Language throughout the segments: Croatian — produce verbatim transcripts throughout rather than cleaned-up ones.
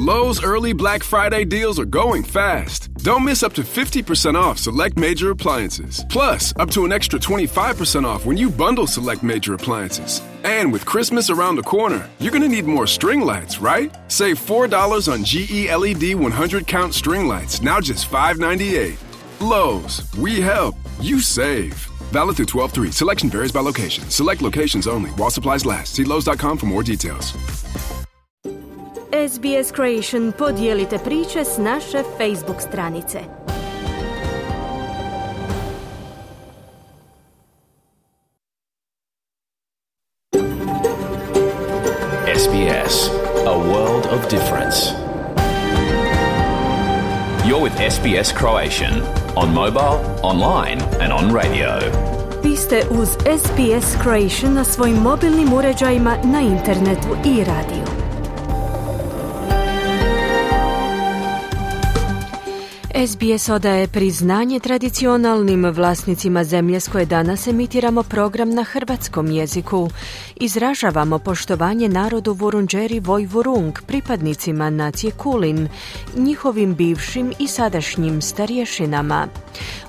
Lowe's early Black Friday deals are going fast. Don't miss up to fifty percent off select major appliances. Plus, up to an extra twenty-five percent off when you bundle select major appliances. And with Christmas around the corner, you're going to need more string lights, right? Save four dollars on G E L E D one hundred count string lights, now just five ninety-eight. Lowe's, we help, you save. Valid through twelve three. Selection varies by location. Select locations only. While supplies last. See Lowe's dot com for more details. S B S Creation, podijelite priče s naše Facebook stranice. S B S, a world of difference. You're with S B S Croatian, on mobile, online and on radio. Vi ste uz S B S Creation na svojim mobilnim uređajima, na internetu i radiju. S B S odaje priznanje tradicionalnim vlasnicima zemlje s koje danas emitiramo program na hrvatskom jeziku. Izražavamo poštovanje narodu Vurundjeri Vojvurung, pripadnicima nacije Kulin, njihovim bivšim i sadašnjim starješinama.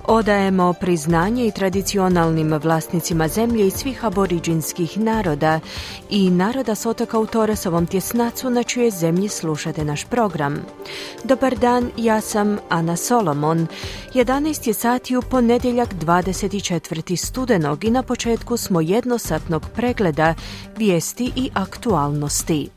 Odajemo priznanje i tradicionalnim vlasnicima zemlje i svih aboriđinskih naroda i naroda s otoka u Toresovom tjesnacu na čijoj zemlji slušate naš program. Dobar dan, ja sam Ana Solomon. jedanaest je sati u ponedjeljak dvadeset četvrtog studenog i na početku smo jednosatnog pregleda vijesti i aktualnosti.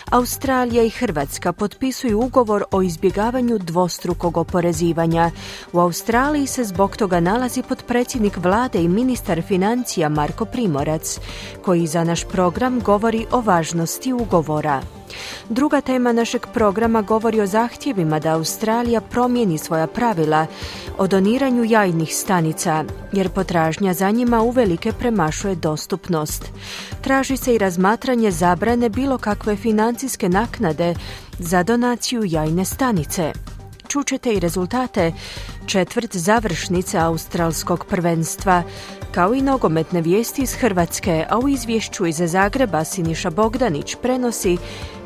Australija i Hrvatska potpisuju ugovor o izbjegavanju dvostrukog oporezivanja. U Australiji se zbog toga nalazi potpredsjednik vlade i ministar financija Marko Primorac, koji za naš program govori o važnosti ugovora. Druga tema našeg programa govori o zahtjevima da Australija promijeni svoja pravila o doniranju jajnih stanica, jer potražnja za njima uvelike premašuje dostupnost. Traži se i razmatranje zabrane bilo kakve financijske naknade za donaciju jajne stanice. Čućete i rezultate četvrt završnice australskog prvenstva, kao i nogometne vijesti iz Hrvatske, a u izvješću iz Zagreba Siniša Bogdanić prenosi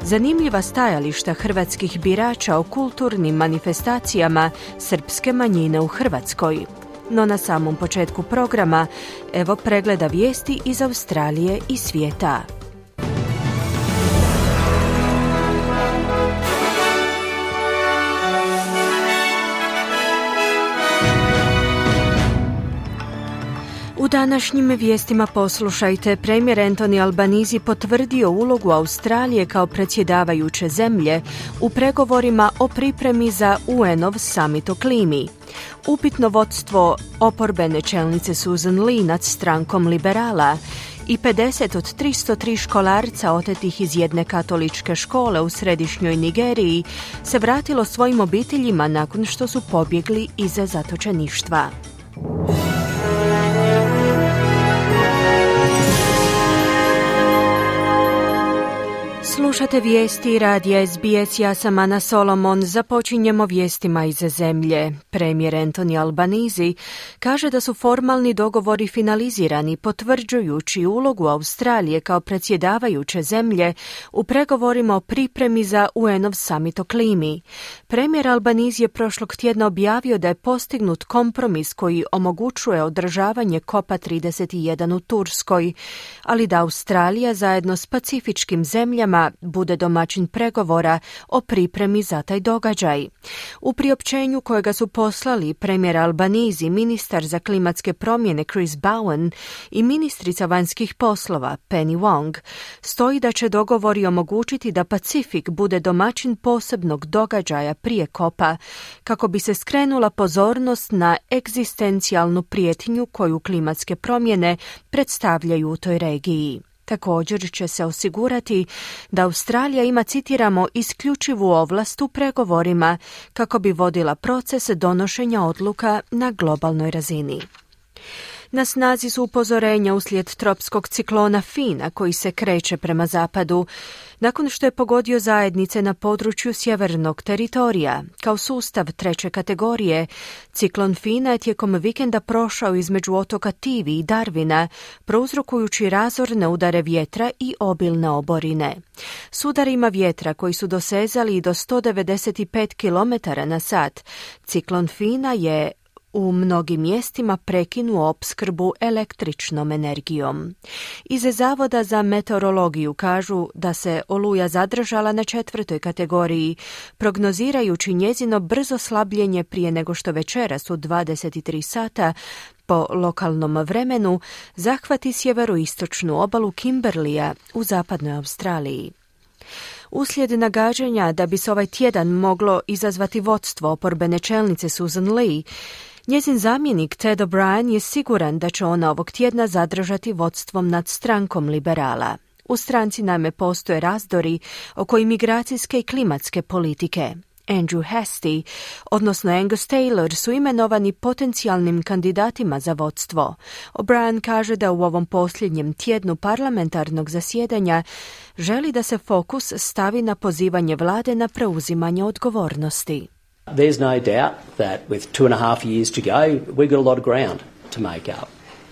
zanimljiva stajališta hrvatskih birača o kulturnim manifestacijama srpske manjine u Hrvatskoj. No na samom početku programa, evo pregleda vijesti iz Australije i svijeta. U današnjim vijestima poslušajte, premijer Anthony Albanese potvrdio ulogu Australije kao predsjedavajuće zemlje u pregovorima o pripremi za U N-ov summit o klimi. Upitno vodstvo oporbene čelnice Susan Lee nad strankom liberala i pedeset od tristo tri školarca otetih iz jedne katoličke škole u središnjoj Nigeriji se vratilo svojim obiteljima nakon što su pobjegli iz zatočeništva. Slušate vijesti radija S B S, ja sam Ana Solomon. Započinjemo vijestima iz zemlje. Premijer Anthony Albanese kaže da su formalni dogovori finalizirani, potvrđujući ulogu Australije kao predsjedavajuće zemlje u pregovorima o pripremi za U N-ov summit o klimi. Premijer Albanese je prošlog tjedna objavio da je postignut kompromis koji omogućuje održavanje kopa trideset jedan u Turskoj, ali da Australija zajedno s pacifičkim zemljama bude domaćin pregovora o pripremi za taj događaj. U priopćenju kojega su poslali premijer Albanese, ministar za klimatske promjene Chris Bowen i ministrica vanjskih poslova Penny Wong, stoji da će dogovori omogućiti da Pacifik bude domaćin posebnog događaja prije kopa, kako bi se skrenula pozornost na egzistencijalnu prijetnju koju klimatske promjene predstavljaju u toj regiji. Također će se osigurati da Australija ima, citiramo, isključivu ovlast u pregovorima kako bi vodila proces donošenja odluka na globalnoj razini. Na snazi su upozorenja uslijed tropskog ciklona Fina koji se kreće prema zapadu, nakon što je pogodio zajednice na području sjevernog teritorija. Kao sustav treće kategorije, ciklon Fina je tijekom vikenda prošao između otoka Tivi i Darwina, prouzrokujući razorne udare vjetra i obilne oborine. S udarima vjetra koji su dosezali do sto devedeset pet kilometara na sat, ciklon Fina je u mnogim mjestima prekinuo opskrbu električnom energijom. Iz Zavoda za meteorologiju kažu da se oluja zadržala na četvrtoj kategoriji, prognozirajući njezino brzo slabljenje prije nego što večeras u dvadeset tri sata po lokalnom vremenu zahvati sjeveroistočnu obalu Kimberleya u zapadnoj Australiji. Uslijed nagađanja da bi se ovaj tjedan moglo izazvati vodstvo oporbene čelnice Susan Lee, njezin zamjenik Ted O'Brien je siguran da će ona ovog tjedna zadržati vodstvom nad strankom liberala. U stranci naime postoje razdori oko imigracijske i klimatske politike. Andrew Hastie, odnosno Angus Taylor, su imenovani potencijalnim kandidatima za vodstvo. O'Brien kaže da u ovom posljednjem tjednu parlamentarnog zasjedanja želi da se fokus stavi na pozivanje vlade na preuzimanje odgovornosti. There's no doubt that with two and a half years to go, we've got a lot of ground to make up.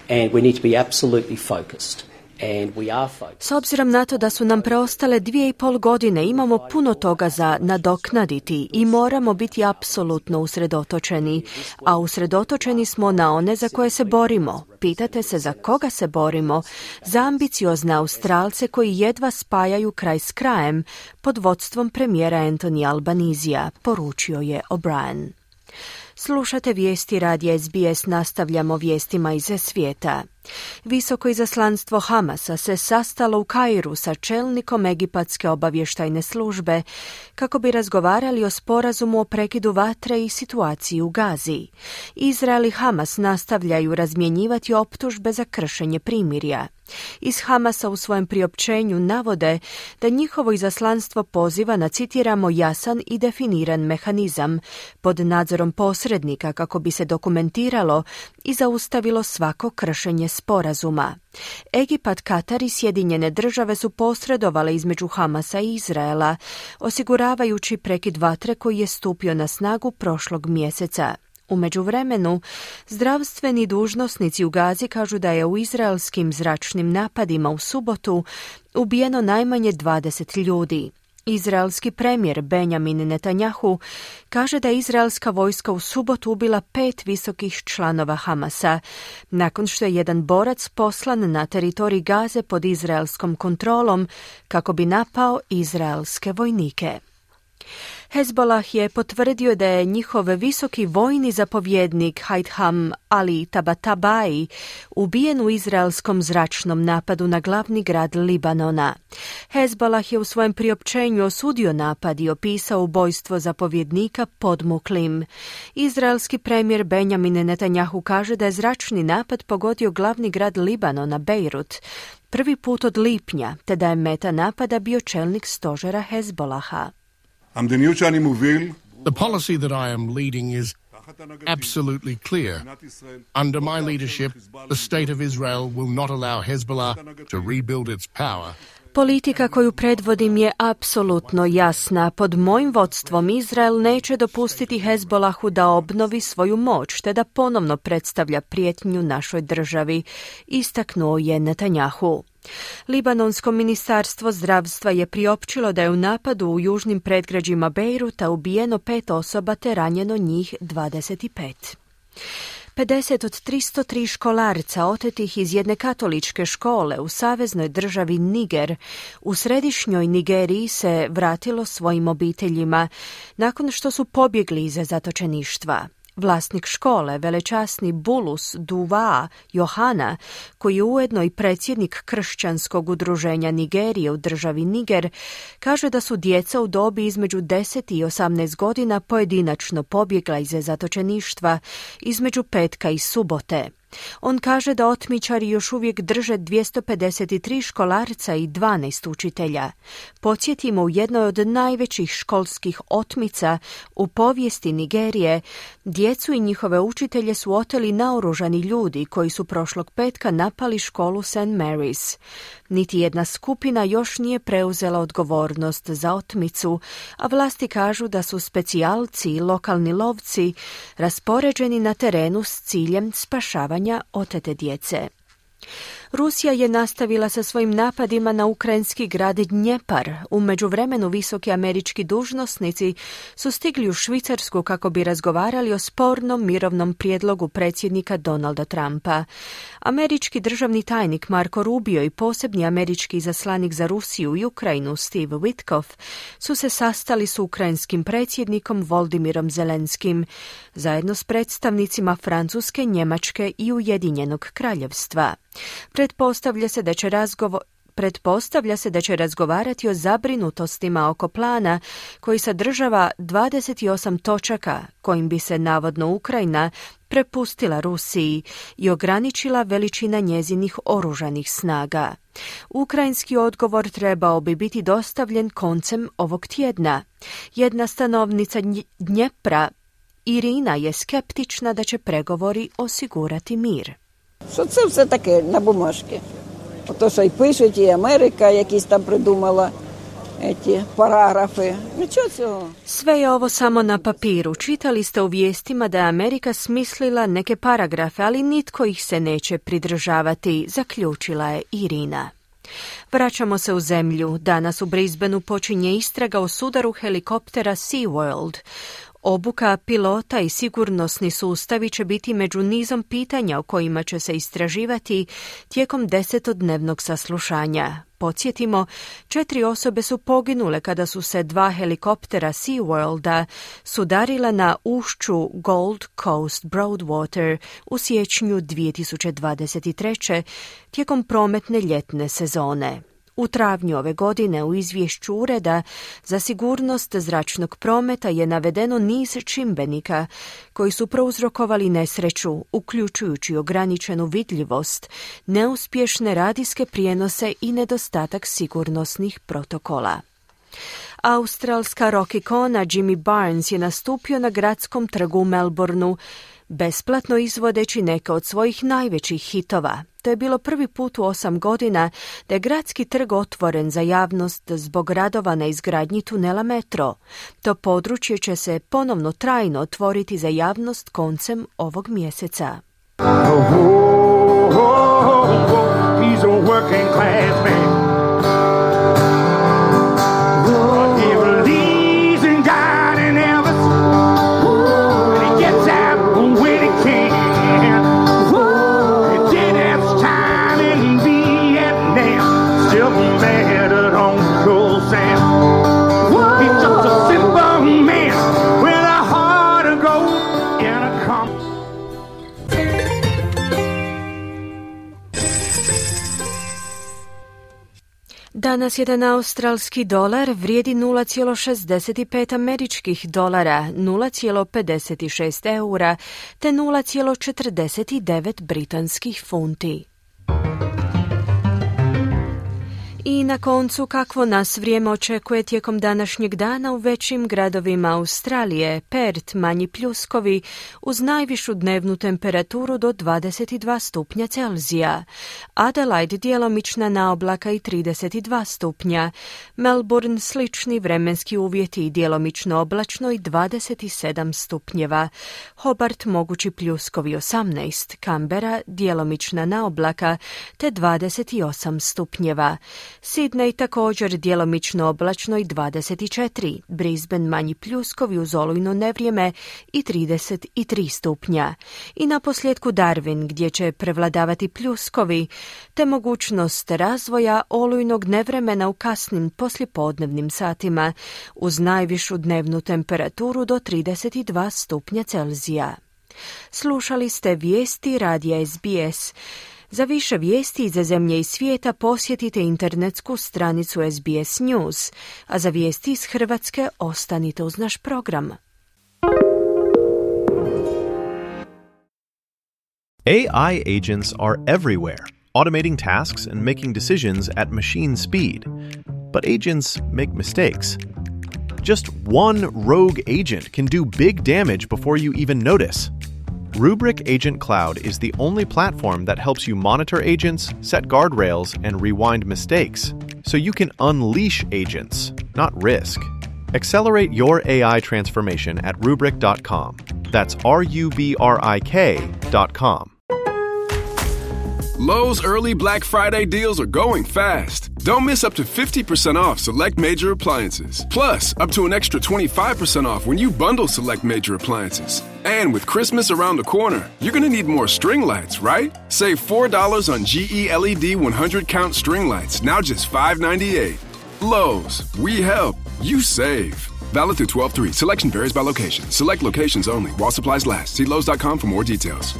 And we need to be absolutely focused. And we are focused. S obzirom na to da su nam preostale dvije i pol godine, imamo puno toga za nadoknaditi i moramo biti apsolutno usredotočeni. A usredotočeni smo na one za koje se borimo. Pitate se za koga se borimo? Za ambiciozne Australce koji jedva spajaju kraj s krajem pod vodstvom premijera Anthony Albanizija, poručio je O'Brien. Slušate vijesti radija S B S, nastavljamo vijestima iz svijeta. Visoko izaslanstvo Hamasa se sastalo u Kairu sa čelnikom egipatske obavještajne službe kako bi razgovarali o sporazumu o prekidu vatre i situaciji u Gazi. Izrael i Hamas nastavljaju razmjenjivati optužbe za kršenje primirja. Iz Hamasa u svojem priopćenju navode da njihovo izaslanstvo poziva na, citiramo, jasan i definiran mehanizam pod nadzorom posrednika kako bi se dokumentiralo i zaustavilo svako kršenje sporazuma. Egipat, Katar i Sjedinjene države su posredovale između Hamasa i Izraela, osiguravajući prekid vatre koji je stupio na snagu prošlog mjeseca. U međuvremenu, zdravstveni dužnosnici u Gazi kažu da je u izraelskim zračnim napadima u subotu ubijeno najmanje dvadeset ljudi. Izraelski premijer Benjamin Netanjahu kaže da je izraelska vojska u subotu ubila pet visokih članova Hamasa, nakon što je jedan borac poslan na teritorij Gaze pod izraelskom kontrolom kako bi napao izraelske vojnike. Hezbollah je potvrdio da je njihov visoki vojni zapovjednik Haitham Ali Tabatabai ubijen u izraelskom zračnom napadu na glavni grad Libanona. Hezbollah je u svojem priopćenju osudio napad i opisao ubojstvo zapovjednika podmuklim. Izraelski premijer Benjamin Netanjahu kaže da je zračni napad pogodio glavni grad Libanona, Beirut, prvi put od lipnja, te da je meta napada bio čelnik stožera Hezbollaha. The policy that I am leading is absolutely clear. Under my leadership, the state of Israel will not allow Hezbollah to rebuild its power. Politika koju predvodim je apsolutno jasna. Pod mojim vodstvom Izrael neće dopustiti Hezbollahu da obnovi svoju moć te da ponovno predstavlja prijetnju našoj državi, istaknuo je Netanjahu. Libanonsko ministarstvo zdravstva je priopćilo da je u napadu u južnim predgrađima Bejruta ubijeno pet osoba te ranjeno njih dvadeset pet. pedeset od tristo tri školarca otetih iz jedne katoličke škole u saveznoj državi Niger u središnjoj Nigeriji se vratilo svojim obiteljima nakon što su pobjegli iz zatočeništva. Vlasnik škole, velečasni Bulus Duva Johana, koji je ujedno i predsjednik kršćanskog udruženja Nigerije u državi Niger, kaže da su djeca u dobi između deset i osamnaest godina pojedinačno pobjegla iz zatočeništva između petka i subote. On kaže da otmičari još uvijek drže dvjesto pedeset tri školarca i dvanaest učitelja. Podsjetimo, u jednoj od najvećih školskih otmica u povijesti Nigerije, djecu i njihove učitelje su oteli naoružani ljudi koji su prošlog petka napali školu Saint Mary's. Niti jedna skupina još nije preuzela odgovornost za otmicu, a vlasti kažu da su specijalci i lokalni lovci raspoređeni na terenu s ciljem spašavanja otete djece. Rusija je nastavila sa svojim napadima na ukrajinski grad Dnjepar. U međuvremenu visoki američki dužnosnici su stigli u Švicarsku kako bi razgovarali o spornom mirovnom prijedlogu predsjednika Donalda Trumpa. Američki državni tajnik Marco Rubio i posebni američki izaslanik za Rusiju i Ukrajinu Steve Witkoff su se sastali s ukrajinskim predsjednikom Voldimirom Zelenskim, zajedno s predstavnicima Francuske, Njemačke i Ujedinjenog kraljevstva. Pretpostavlja se da će razgovor Pretpostavlja se da će razgovarati o zabrinutostima oko plana koji sadržava dvadeset osam točaka kojim bi se navodno Ukrajina prepustila Rusiji i ograničila veličina njezinih oružanih snaga. Ukrajinski odgovor trebao bi biti dostavljen koncem ovog tjedna. Jedna stanovnica Dnjepra, Irina, je skeptična da će pregovori osigurati mir. Що це все таке на бумажці? Ото, що й пишуть, і Америка якісь там придумала ці параграфи. Нічого цього. Sve je ovo samo na papiru. Čitali ste u vijestima da je Amerika smislila neke paragrafe, ali nitko ih se neće pridržavati, zaključila je Irina. Vraćamo se u zemlju. Danas u Brisbaneu počinje istraga o sudaru helikoptera SeaWorld. Obuka pilota i sigurnosni sustavi će biti među nizom pitanja o kojima će se istraživati tijekom desetodnevnog saslušanja. Podsjetimo, četiri osobe su poginule kada su se dva helikoptera SeaWorlda sudarila na ušću Gold Coast Broadwater u siječnju dvije tisuće dvadeset treće tijekom prometne ljetne sezone. U travnju ove godine u izvješću Ureda za sigurnost zračnog prometa je navedeno niz čimbenika koji su prouzrokovali nesreću, uključujući ograničenu vidljivost, neuspješne radijske prijenose i nedostatak sigurnosnih protokola. Australska rock ikona Jimmy Barnes je nastupio na gradskom trgu u Melbourneu, besplatno izvodeći neke od svojih najvećih hitova. To je bilo prvi put u osam godina da je gradski trg otvoren za javnost zbog radova na izgradnji tunela metro. To područje će se ponovno trajno otvoriti za javnost koncem ovog mjeseca. Oh, oh, oh, oh, oh, he's a working class man. Danas jedan australski dolar vrijedi nula zarez šezdeset pet američkih dolara, nula zarez pedeset šest eura te nula zarez četrdeset devet britanskih funti. I na koncu, kakvo nas vrijeme očekuje tijekom današnjeg dana u većim gradovima Australije. Perth manji pljuskovi uz najvišu dnevnu temperaturu do dvadeset dva stupnja Celzija. Adelaide djelomična naoblaka i trideset dva stupnja. Melbourne slični vremenski uvjeti i djelomično oblačno i dvadeset sedam stupnjeva. Hobart mogući pljuskovi osamnaest. Canberra djelomična naoblaka te dvadeset osam stupnjeva. Sydney također djelomično oblačno i dvadeset četiri, Brisbane manji pljuskovi uz olujno nevrijeme i trideset tri stupnja. I na posljedku Darwin gdje će prevladavati pljuskovi te mogućnost razvoja olujnog nevremena u kasnim poslijepodnevnim satima uz najvišu dnevnu temperaturu do trideset dva stupnja Celzija. Slušali ste vijesti radija S B S. Za više vijesti iz zemlje i svijeta posjetite internetsku stranicu S B S News, a za vijesti iz Hrvatske ostanite uz naš program. A I agents are everywhere, automating tasks and making decisions at machine speed. But agents make mistakes. Just one rogue agent can do big damage before you even notice. Rubrik Agent Cloud is the only platform that helps you monitor agents, set guardrails, and rewind mistakes, so you can unleash agents, not risk. Accelerate your A I transformation at rubrik dot com. That's R U B R I K dot com. Lowe's early Black Friday deals are going fast. Don't miss up to fifty percent off select major appliances. Plus, up to an extra twenty-five percent off when you bundle select major appliances. And with Christmas around the corner, you're going to need more string lights, right? Save four dollars on G E L E D one hundred count string lights, now just five ninety-eight. Lowe's, we help, you save. Valid through twelve three. Selection varies by location. Select locations only. While supplies last. See Lowe's dot com for more details.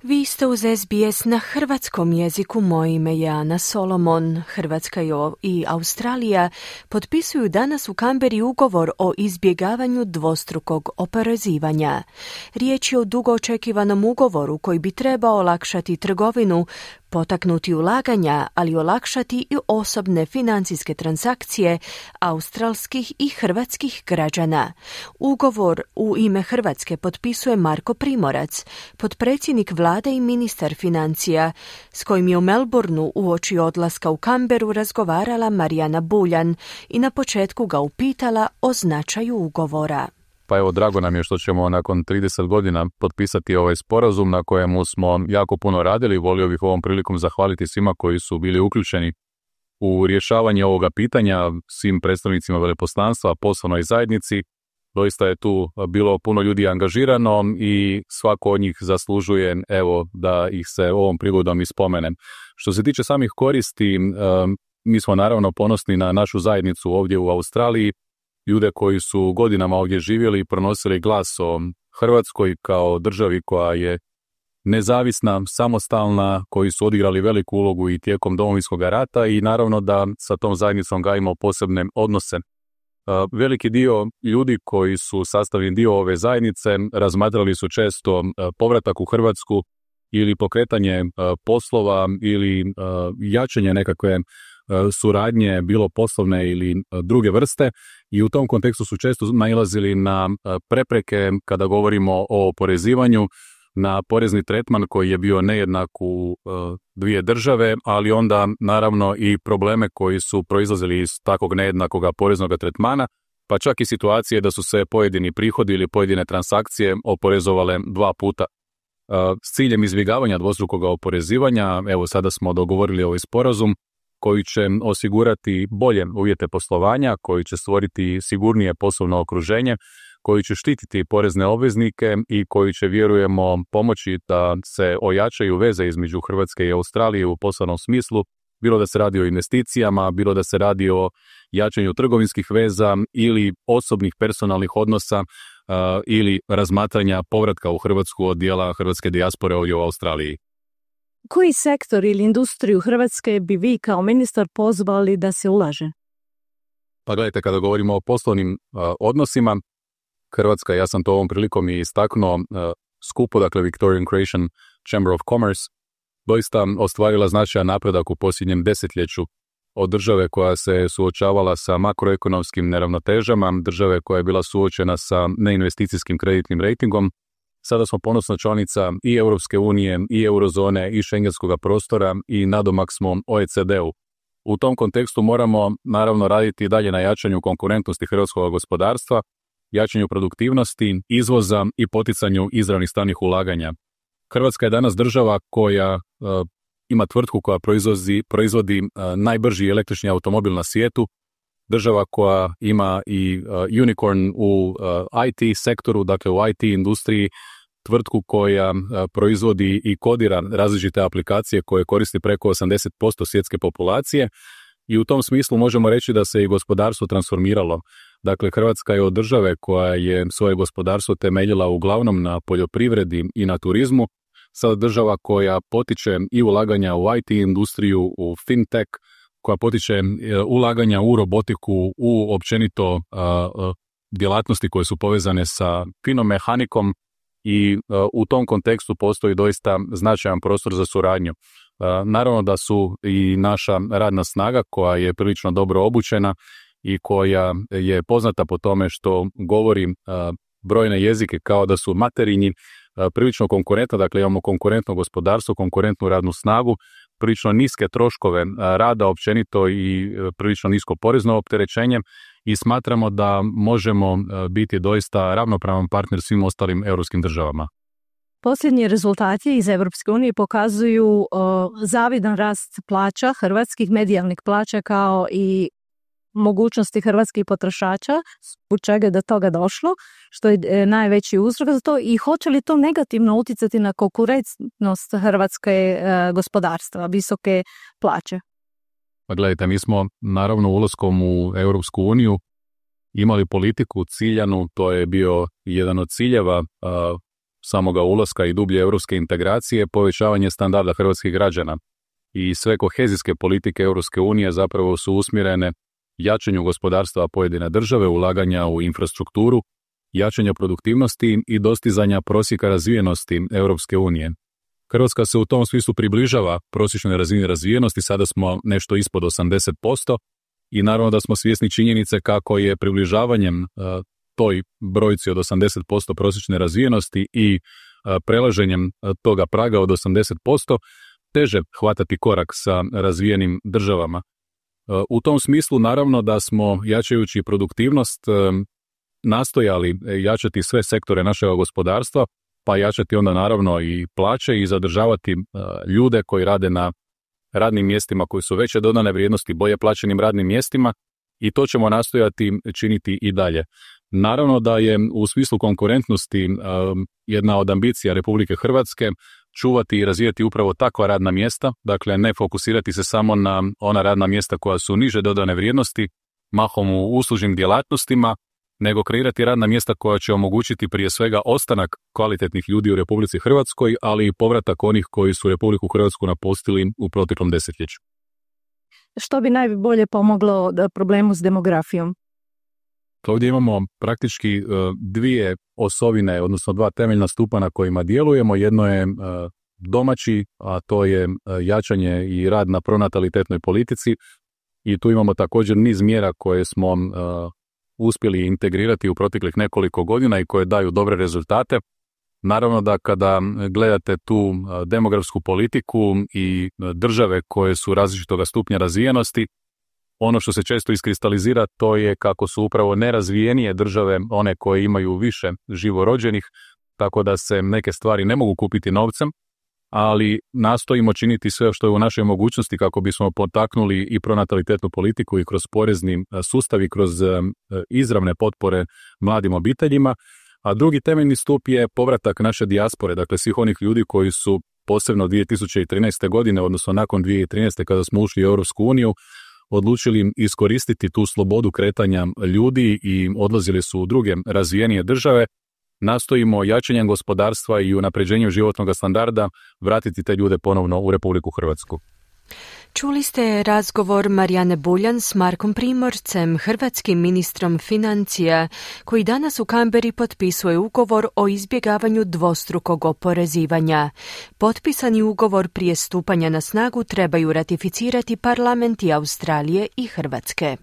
Vi ste uz S B S na hrvatskom jeziku. Moje ime je Ana Solomon. Hrvatska i Australija potpisuju danas u Kamberi ugovor o izbjegavanju dvostrukog oporezivanja. Riječ je o dugo očekivanom ugovoru koji bi trebao olakšati trgovinu, potaknuti ulaganja, ali olakšati i osobne financijske transakcije australskih i hrvatskih građana. Ugovor u ime Hrvatske potpisuje Marko Primorac, potpredsjednik vlade i ministar financija, s kojim je u Melbourneu uoči odlaska u Kamberu razgovarala Marijana Buljan i na početku ga upitala o značaju ugovora. Pa evo, drago nam je što ćemo nakon trideset godina potpisati ovaj sporazum na kojemu smo jako puno radili. Volio bih ovom prilikom zahvaliti svima koji su bili uključeni u rješavanje ovoga pitanja, svim predstavnicima veleposlanstva, poslovnoj zajednici. Doista je tu bilo puno ljudi angažirano i svako od njih zaslužuje, evo, da ih se ovom prigodom ispomenem. Što se tiče samih koristi, mi smo naravno ponosni na našu zajednicu ovdje u Australiji, ljude koji su godinama ovdje živjeli i pronosili glas o Hrvatskoj kao državi koja je nezavisna, samostalna, koji su odigrali veliku ulogu i tijekom Domovinskog rata i naravno da sa tom zajednicom gajimo posebne odnose. Veliki dio ljudi koji su sastavni dio ove zajednice razmatrali su često povratak u Hrvatsku ili pokretanje poslova ili jačanje nekakve suradnje, bilo poslovne ili druge vrste, i u tom kontekstu su često nailazili na prepreke kada govorimo o oporezivanju, na porezni tretman koji je bio nejednak u dvije države, ali onda naravno i probleme koji su proizlazili iz takvog nejednakog poreznog tretmana, pa čak i situacije da su se pojedini prihodi ili pojedine transakcije oporezovale dva puta. S ciljem izbjegavanja dvostrukog oporezivanja, evo sada smo dogovorili ovaj sporazum koji će osigurati bolje uvjete poslovanja, koji će stvoriti sigurnije poslovno okruženje, koji će štititi porezne obveznike i koji će, vjerujemo, pomoći da se ojačaju veze između Hrvatske i Australije u poslovnom smislu, bilo da se radi o investicijama, bilo da se radi o jačanju trgovinskih veza ili osobnih personalnih odnosa uh, ili razmatranja povratka u Hrvatsku od dijela hrvatske dijaspore ovdje u Australiji. Koji sektor ili industriju Hrvatske bi vi kao ministar pozvali da se ulaže? Pa gledajte, kada govorimo o poslovnim uh, odnosima, Hrvatska, ja sam to ovom prilikom i istaknuo, uh, skupo, dakle Victorian Croatian Chamber of Commerce, doista ostvarila značajan napredak u posljednjem desetljeću od države koja se suočavala sa makroekonomskim neravnotežama, države koja je bila suočena sa neinvesticijskim kreditnim rejtingom. Sada smo ponosna članica i Europske unije, i eurozone, i šengenskog prostora i nadomak smo O E C D-u. U tom kontekstu moramo naravno raditi i dalje na jačanju konkurentnosti hrvatskog gospodarstva, jačanju produktivnosti, izvoza i poticanju izravnih stranih ulaganja. Hrvatska je danas država koja uh, ima tvrtku koja proizvodi, proizvodi uh, najbrži električni automobil na svijetu, država koja ima i uh, unicorn u uh, I T sektoru, dakle u I T industriji, tvrtku koja uh, proizvodi i kodira različite aplikacije koje koristi preko osamdeset posto svjetske populacije, i u tom smislu možemo reći da se i gospodarstvo transformiralo. Dakle, Hrvatska je od države koja je svoje gospodarstvo temeljila uglavnom na poljoprivredi i na turizmu, sada država koja potiče i ulaganja u I T industriju, u fintech, koja potiče ulaganja u robotiku, u općenito uh, djelatnosti koje su povezane sa finomehanikom i uh, u tom kontekstu postoji doista značajan prostor za suradnju. Uh, naravno da su i naša radna snaga koja je prilično dobro obučena i koja je poznata po tome što govori uh, brojne jezike kao da su materinji, uh, prilično konkurentna, dakle imamo konkurentno gospodarstvo, konkurentnu radnu snagu, prilično niske troškove uh, rada općenito i uh, prilično nisko porezno opterećenje i smatramo da možemo uh, biti doista ravnopravan partner svim ostalim europskim državama. Posljednji rezultati iz Europske unije pokazuju o, zavidan rast plaća, hrvatskih medijalnih plaća kao i mogućnosti hrvatskih potrošača, zbog čega je do toga došlo, što je e, najveći uzrok za to i hoće li to negativno utjecati na konkurentnost hrvatske e, gospodarstva, visoke plaće? Pa gledajte, mi smo naravno ulaskom u Europsku uniju imali politiku ciljanu, to je bio jedan od ciljeva a, samoga ulaska i dublje europske integracije, povećavanje standarda hrvatskih građana. I sve kohezijske politike Europske unije zapravo su usmjerene jačanju gospodarstva pojedine države, ulaganja u infrastrukturu, jačanja produktivnosti i dostizanja prosjeka razvijenosti Europske unije. Hrvatska se u tom smislu približava prosječnoj razini razvijenosti, sada smo nešto ispod osamdeset posto i naravno da smo svjesni činjenice kako je približavanjem uh, toj brojci od osamdeset posto prosječne razvijenosti i uh, prelaženjem uh, toga praga od osamdeset posto teže hvatati korak sa razvijenim državama. Uh, u tom smislu naravno da smo jačajući produktivnost uh, nastojali jačati sve sektore našega gospodarstva, pa jačati onda naravno i plaće i zadržavati uh, ljude koji rade na radnim mjestima koji su veće dodane vrijednosti, bolje plaćenim radnim mjestima i to ćemo nastojati činiti i dalje. Naravno da je u smislu konkurentnosti um, jedna od ambicija Republike Hrvatske čuvati i razvijati upravo takva radna mjesta, dakle ne fokusirati se samo na ona radna mjesta koja su niže dodane vrijednosti, mahom u uslužnim djelatnostima, nego kreirati radna mjesta koja će omogućiti prije svega ostanak kvalitetnih ljudi u Republici Hrvatskoj, ali i povratak onih koji su Republiku Hrvatsku napustili u proteklom desetljeću. Što bi najbolje pomoglo problemu s demografijom? Ovdje imamo praktički dvije osovine, odnosno dva temeljna stupa na kojima djelujemo. Jedno je domaći, a to je jačanje i rad na pronatalitetnoj politici i tu imamo također niz mjera koje smo uspjeli integrirati u proteklih nekoliko godina i koje daju dobre rezultate. Naravno da kada gledate tu demografsku politiku i države koje su različitoga stupnja razvijenosti, ono što se često iskristalizira to je kako su upravo nerazvijenije države one koje imaju više živorođenih, tako da se neke stvari ne mogu kupiti novcem, ali nastojimo činiti sve što je u našoj mogućnosti kako bismo potaknuli i pronatalitetnu politiku i kroz porezni sustav i kroz izravne potpore mladim obiteljima. A drugi temeljni stup je povratak naše dijaspore, dakle svih onih ljudi koji su posebno dvije tisuće trinaeste. godine, odnosno nakon dvije tisuće trinaeste. kada smo ušli u Europsku uniju, odlučili iskoristiti tu slobodu kretanja ljudi i odlazili su u druge razvijenije države. Nastojimo jačanjem gospodarstva i unapređenjem životnog standarda vratiti te ljude ponovno u Republiku Hrvatsku. Čuli ste razgovor Marijane Buljan s Markom Primorcem, hrvatskim ministrom financija, koji danas u Kamberi potpisuje ugovor o izbjegavanju dvostrukog oporezivanja. Potpisani ugovor prije stupanja na snagu trebaju ratificirati parlamenti Australije i Hrvatske.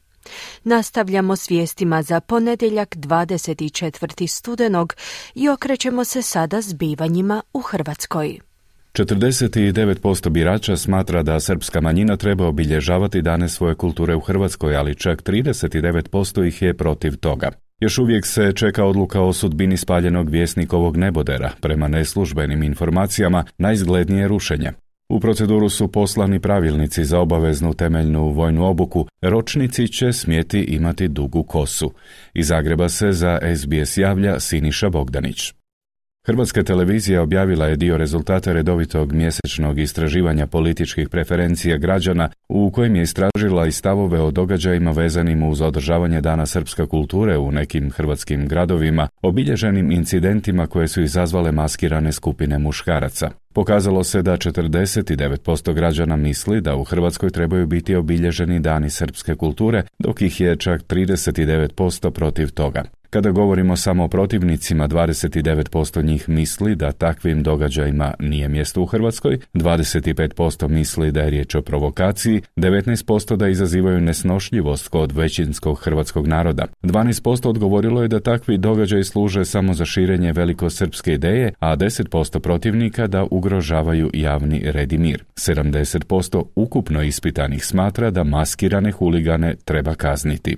Nastavljamo s vijestima za ponedjeljak dvadeset četvrtog studenog i okrećemo se sada zbivanjima u Hrvatskoj. četrdeset devet posto birača smatra da srpska manjina treba obilježavati dane svoje kulture u Hrvatskoj, ali čak trideset devet posto ih je protiv toga. Još uvijek se čeka odluka o sudbini spaljenog Vjesnikovog nebodera, prema neslužbenim informacijama najizglednije rušenje. U proceduru su poslani pravilnici za obaveznu temeljnu vojnu obuku, ročnici će smjeti imati dugu kosu. Iz Zagreba se za S B S javlja Siniša Bogdanić. Hrvatska televizija objavila je dio rezultata redovitog mjesečnog istraživanja političkih preferencija građana u kojem je istražila i stavove o događajima vezanim uz održavanje Dana srpske kulture u nekim hrvatskim gradovima, obilježenim incidentima koje su izazvale maskirane skupine muškaraca. Pokazalo se da četrdeset devet posto građana misli da u Hrvatskoj trebaju biti obilježeni Dani srpske kulture, dok ih je čak trideset devet posto protiv toga. Kada govorimo samo o protivnicima, dvadeset devet posto njih misli da takvim događajima nije mjesto u Hrvatskoj, dvadeset pet posto misli da je riječ o provokaciji, devetnaest posto da izazivaju nesnošljivost kod većinskog hrvatskog naroda. dvanaest posto odgovorilo je da takvi događaji služe samo za širenje velikosrpske ideje, a deset posto protivnika da ugrožavaju javni red i mir. sedamdeset posto ukupno ispitanih smatra da maskirane huligane treba kazniti.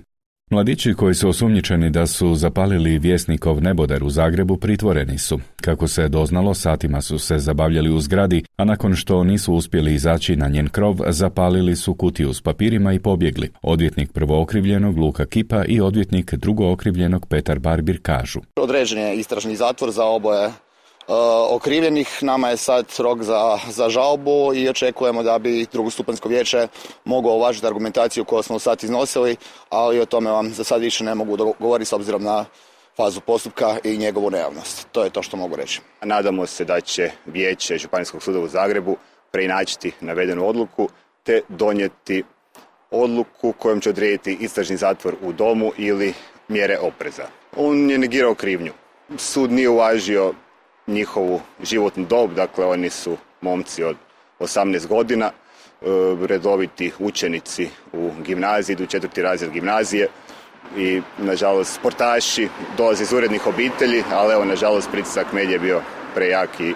Mladići koji su osumnjičeni da su zapalili Vjesnikov neboder u Zagrebu pritvoreni su. Kako se doznalo, satima su se zabavljali u zgradi, a nakon što nisu uspjeli izaći na njen krov, zapalili su kutiju s papirima i pobjegli. Odvjetnik prvookrivljenog Luka Kipa i odvjetnik drugookrivljenog Petar Barbir kažu: Određen je istražni zatvor za oboje Uh, okrivljenih. Nama je sad rok za, za žalbu i očekujemo da bi drugostupanjsko vijeće moglo uvažiti argumentaciju koju smo sad iznosili, ali o tome vam za sad više ne mogu govoriti s obzirom na fazu postupka i njegovu nejavnost. To je to što mogu reći. Nadamo se da će vijeće Županijskog suda u Zagrebu preinačiti navedenu odluku te donijeti odluku kojom će odrediti istražni zatvor u domu ili mjere opreza. On je negirao krivnju. Sud nije uvažio njihovu životnu dob, dakle oni su momci od osamnaest godina, redoviti učenici u gimnaziji, idu u četvrti razred gimnazije i nažalost sportaši, dolaze iz urednih obitelji, ali evo nažalost pritisak medija je bio prejak i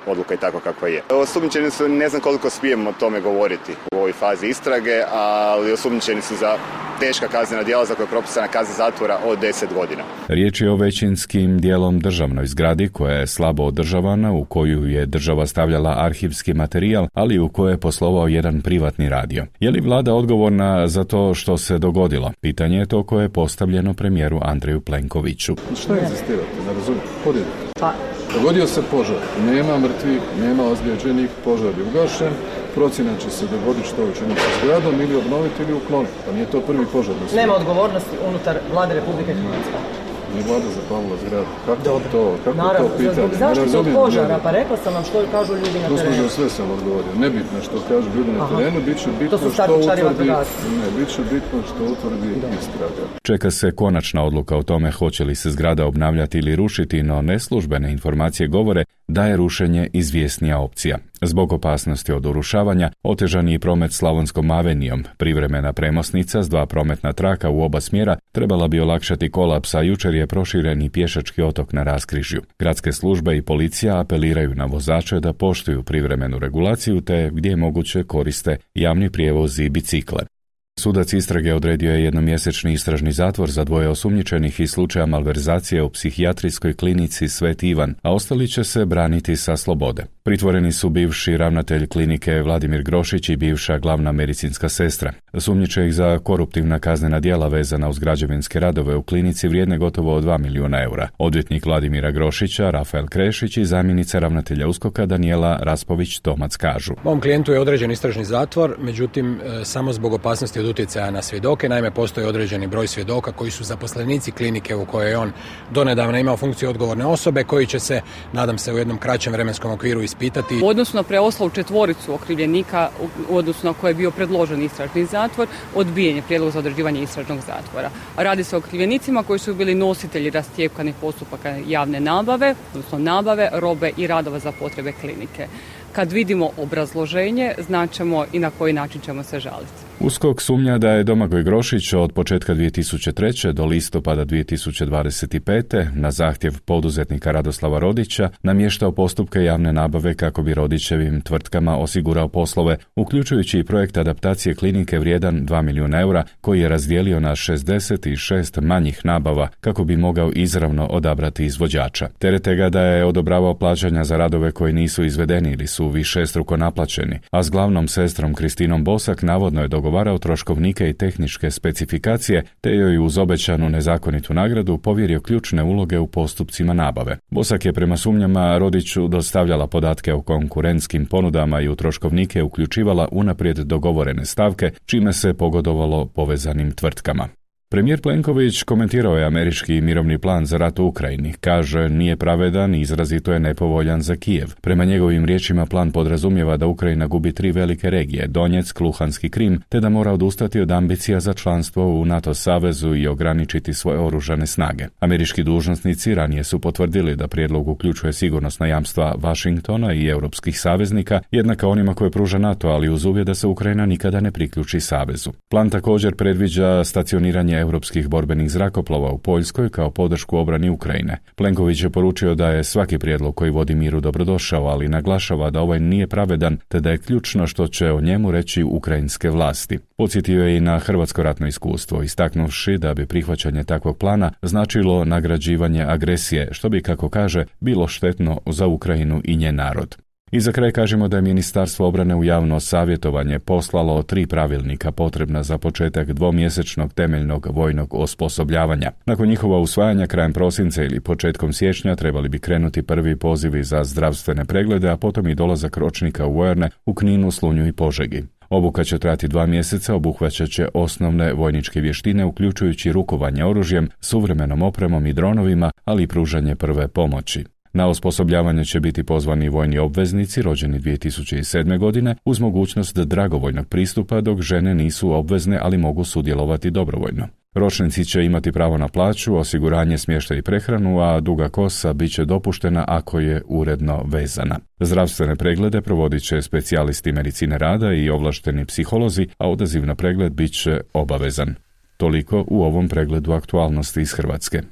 odluka je tako kakva je. Osumnjičeni su, ne znam koliko smijemo o tome govoriti u ovoj fazi istrage, ali osumnjičeni su za teška kaznena djela za koje je propisana kazna zatvora od deset godina. Riječ je o većinskim dijelom državnoj zgradi koja je slabo održavana, u koju je država stavljala arhivski materijal, ali u kojoj je poslovao jedan privatni radio. Je li vlada odgovorna za to što se dogodilo? Pitanje je to koje je postavljeno premijeru Andreju Plenkoviću. Što je inzistirate? Ne razumijem. Podijete. Pa. Dogodio se požar. Nema mrtvih, nema ozlijeđenih, požar je ugašen. Procjena će se dogoditi što učiniti sa zgradom ili obnoviti ili ukloniti. Pa nije to prvi požar. Nema odgovornosti unutar vlade Republike Hrvatske. Nije vlada zapalila zgradu. Kako Dobro. to? Kako Naravno, to pitanje? Zbog zaštite od požara, pa rekla sam vam što kažu ljudi na terenu. Gospođo, sve sam odgovorio. Nebitno što kažu ljudi na terenu, bit će bitno što utvrdi, ne, bit će bitno što utvrdi istraga. Čeka se konačna odluka o tome hoće li se zgrada obnavljati ili rušiti, no neslužbene informacije govore da je rušenje izvjesnija opcija. Zbog opasnosti od urušavanja, otežan je promet Slavonskom avenijom. Privremena premosnica s dva prometna traka u oba smjera trebala bi olakšati kolaps, a jučer je proširen i pješački otok na raskrižju. Gradske službe i policija apeliraju na vozače da poštuju privremenu regulaciju te gdje je moguće koriste javni prijevoz i bicikle. Sudac istrage odredio je jednomjesečni istražni zatvor za dvoje osumnjičenih iz slučaja malverzacije u psihijatrijskoj klinici Sveti Ivan, a ostali će se braniti sa slobode. Pritvoreni su bivši ravnatelj klinike Vladimir Grošić i bivša glavna medicinska sestra. Sumnjiče ih za koruptivna kaznena djela vezana uz građevinske radove u klinici vrijedne gotovo dva milijuna eura. Odvjetnik Vladimira Grošića, Rafael Krešić i zamjenica ravnatelja USKOK-a Danijela Raspović-Tomac kažu: Mom klijentu je određen istražni zatvor, međutim samo zbog opasnosti od utjecaja na svjedoke. Naime, postoji određeni broj svjedoka koji su zaposlenici klinike u kojoj je on donedavno imao funkciju odgovorne osobe, koji će se, nadam se, u jednom kraćem vremenskom okviru ispitati. U odnosu na preostalu četvoricu okrivljenika, u odnosu na koje je bio predložen istražni zatvor, odbijen je prijedlog za određivanje istražnog zatvora. Radi se o okrivljenicima koji su bili nositelji rastjepkanih postupaka javne nabave, odnosno nabave, robe i radova za potrebe klinike. Kad vidimo obrazloženje, značimo i na koji način ćemo se žaliti. USKOK sumnja da je Domagoj Grošić od početka dvije tisuće treće. do listopada dvije tisuće dvadeset pete. na zahtjev poduzetnika Radoslava Rodića namještao postupke javne nabave kako bi Rodićevim tvrtkama osigurao poslove, uključujući i projekt adaptacije klinike vrijedan dva milijuna eura koji je razdijelio na šezdeset šest manjih nabava kako bi mogao izravno odabrati izvođača. Terete ga da je odobravao plaćanja za radove koji nisu izvedeni ili su višestruko naplaćeni, a s glavnom sestrom Kristinom Bosak navodno je dogovorio dogovarao troškovnike i tehničke specifikacije, te joj uz obećanu nezakonitu nagradu povjerio ključne uloge u postupcima nabave. Bosak je prema sumnjama Rodiću dostavljala podatke o konkurentskim ponudama i u troškovnike uključivala unaprijed dogovorene stavke, čime se pogodovalo povezanim tvrtkama. Premijer Plenković komentirao je američki mirovni plan za rat u Ukrajini. Kaže, nije pravedan i izrazito je nepovoljan za Kijev. Prema njegovim riječima plan podrazumijeva da Ukrajina gubi tri velike regije, Donjeck, Luhansk i Krim, te da mora odustati od ambicija za članstvo u NATO savezu i ograničiti svoje oružane snage. Američki dužnosnici ranije su potvrdili da prijedlog uključuje sigurnosna jamstva Washingtona i europskih saveznika, jednaka onima koje pruža NATO, ali uz uvjet da se Ukrajina nikada ne priključi savezu. Plan također predviđa stacioniranje europskih borbenih zrakoplova u Poljskoj kao podršku obrani Ukrajine. Plenković je poručio da je svaki prijedlog koji vodi miru dobrodošao, ali naglašava da ovaj nije pravedan, te da je ključno što će o njemu reći ukrajinske vlasti. Podsjetio je i na hrvatsko ratno iskustvo, istaknuvši da bi prihvaćanje takvog plana značilo nagrađivanje agresije, što bi, kako kaže, bilo štetno za Ukrajinu i njen narod. I za kraj kažemo da je Ministarstvo obrane u javno savjetovanje poslalo tri pravilnika potrebna za početak dvomjesečnog temeljnog vojnog osposobljavanja. Nakon njihova usvajanja krajem prosinca ili početkom siječnja trebali bi krenuti prvi pozivi za zdravstvene preglede, a potom i dolazak ročnika u vojarne u Kninu, Slunju i Požegi. Obuka će trajati dva mjeseca, obuhvaćat će osnovne vojničke vještine, uključujući rukovanje oružjem, suvremenom opremom i dronovima, ali i pružanje prve pomoći. Na osposobljavanje će biti pozvani vojni obveznici rođeni dvije tisuće sedme. godine uz mogućnost dragovoljnog pristupa, dok žene nisu obvezne, ali mogu sudjelovati dobrovoljno. Ročnici će imati pravo na plaću, osiguranje, smještaj i prehranu, a duga kosa bit će dopuštena ako je uredno vezana. Zdravstvene preglede provodit će specijalisti medicine rada i ovlašteni psiholozi, a odaziv na pregled bit će obavezan. Toliko u ovom pregledu aktualnosti iz Hrvatske.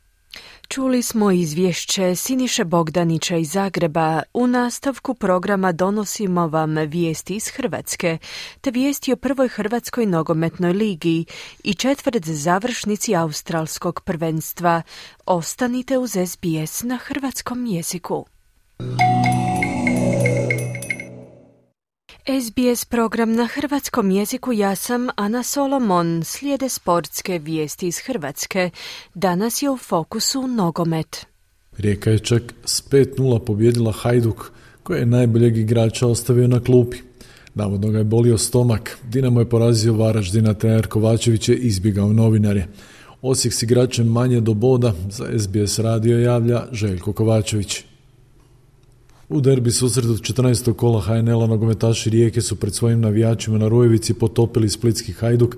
Čuli smo izvješće Siniše Bogdanića iz Zagreba. U nastavku programa donosimo vam vijesti iz Hrvatske, te vijesti o prvoj Hrvatskoj nogometnoj ligi i četvrt završnici australskog prvenstva. Ostanite uz S B S na hrvatskom jeziku. S B S program na hrvatskom jeziku, ja sam Ana Solomon. Slijede sportske vijesti iz Hrvatske. Danas je u fokusu nogomet. Rijeka je čak s pet nula pobjedila Hajduk, koji je najboljeg igrača ostavio na klupi. Navodno ga je bolio stomak. Dinamo je porazio Varaždina, trener Kovačević je izbjegao novinare. Osijek s igračem manje do boda, za S B S radio javlja Željko Kovačević. U derbi susretu četrnaestog kola H N L-a nogometaši Rijeke su pred svojim navijačima na Rojevici potopili splitski Hajduk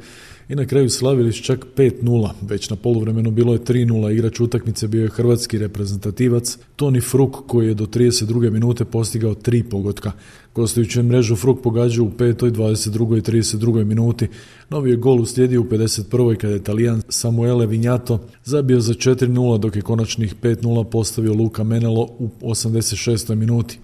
i na kraju slavili s čak pet nula. Već na poluvremenu bilo je tri nula. Igrač utakmice bio je hrvatski reprezentativac Toni Fruk, koji je do trideset druge minute postigao tri pogotka. Gostujući mrežu Fruk pogađao u petoj, dvadeset drugoj i trideset drugoj minuti. Novi je gol uslijedio u pedeset prvoj kada je Talijan Samuele Vignato zabio za četiri nula, dok je konačnih pet nula postavio Luka Menelo u osamdeset šestoj minuti.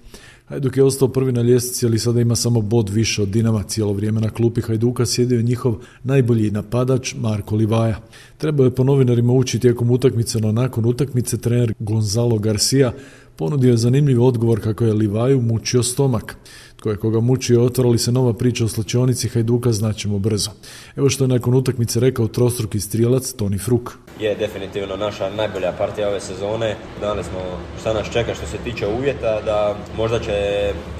Hajduk je ostao prvi na ljestvici, ali sada ima samo bod više od Dinama. Cijelo vrijeme na klupi Hajduka sjedio je njihov najbolji napadač Marko Livaja. Trebao je po novinarima ući tijekom utakmice, no nakon utakmice trener Gonzalo Garcia ponudio je zanimljiv odgovor kako je Livaju mučio stomak. Tko je koga mučio, otvara li se nova priča o slačionici Hajduka, znaćemo brzo. Evo što je nakon utakmice rekao trostruki strijelac Toni Fruk. Je definitivno naša najbolja partija ove sezone. Znali smo šta nas čeka što se tiče uvjeta, da možda će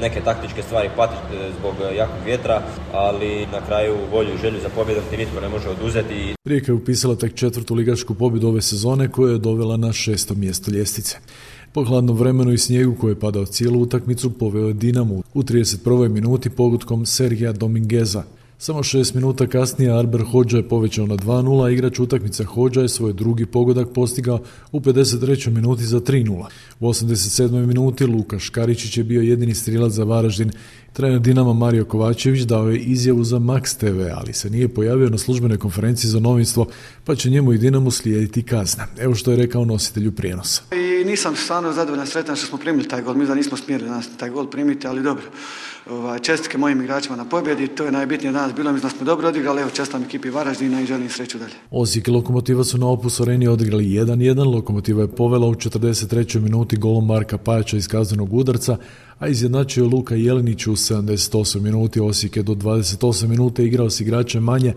neke taktičke stvari patiti zbog jakog vjetra, ali na kraju volju i želju za pobjedom ti nitko ne može oduzeti. Rijeka je upisala tek četvrtu ligašku pobjedu ove sezone, koja je dovela na šesto mjesto ljestvice. Po hladnom vremenu i snijegu koji je padao cijelu utakmicu poveo je Dinamo u trideset prvoj minuti pogodkom Sergija Domingueza. Samo šest minuta kasnije Arber Hodža je povećao na dva nula, a igrač utakmice Hodža je svoj drugi pogodak postigao u pedeset trećoj minuti za tri nula. U osamdeset sedmoj minuti Luka Škaričić je bio jedini strijelac za Varaždin. Trener Dinama Mario Kovačević dao je izjavu za Max T V, ali se nije pojavio na službenoj konferenciji za novinstvo, pa će njemu i Dinamu slijediti kazna. Evo što je rekao nositelju prijenosa. I nisam stvarno zadovoljan, sretan što smo primili taj gol. Mi da nismo smjeli nas taj gol primiti, ali dobro. Ovaj, čestitke mojim igračima na pobjedi, to je najbitnije danas bilo, mislim da smo dobro odigrali, evo čestitam ekipi Varaždina i želim sreću dalje. Osijek i Lokomotiva su na Opus Areni odigrali jedan jedan, Lokomotiva je povela u četrdeset trećoj minuti golom Marka Pajača iz kaznenog udarca, a izjednačio Luka Jelinić u sedamdeset osmoj minuti. Osijek je do dvadeset osme minute igrao s igračem manje,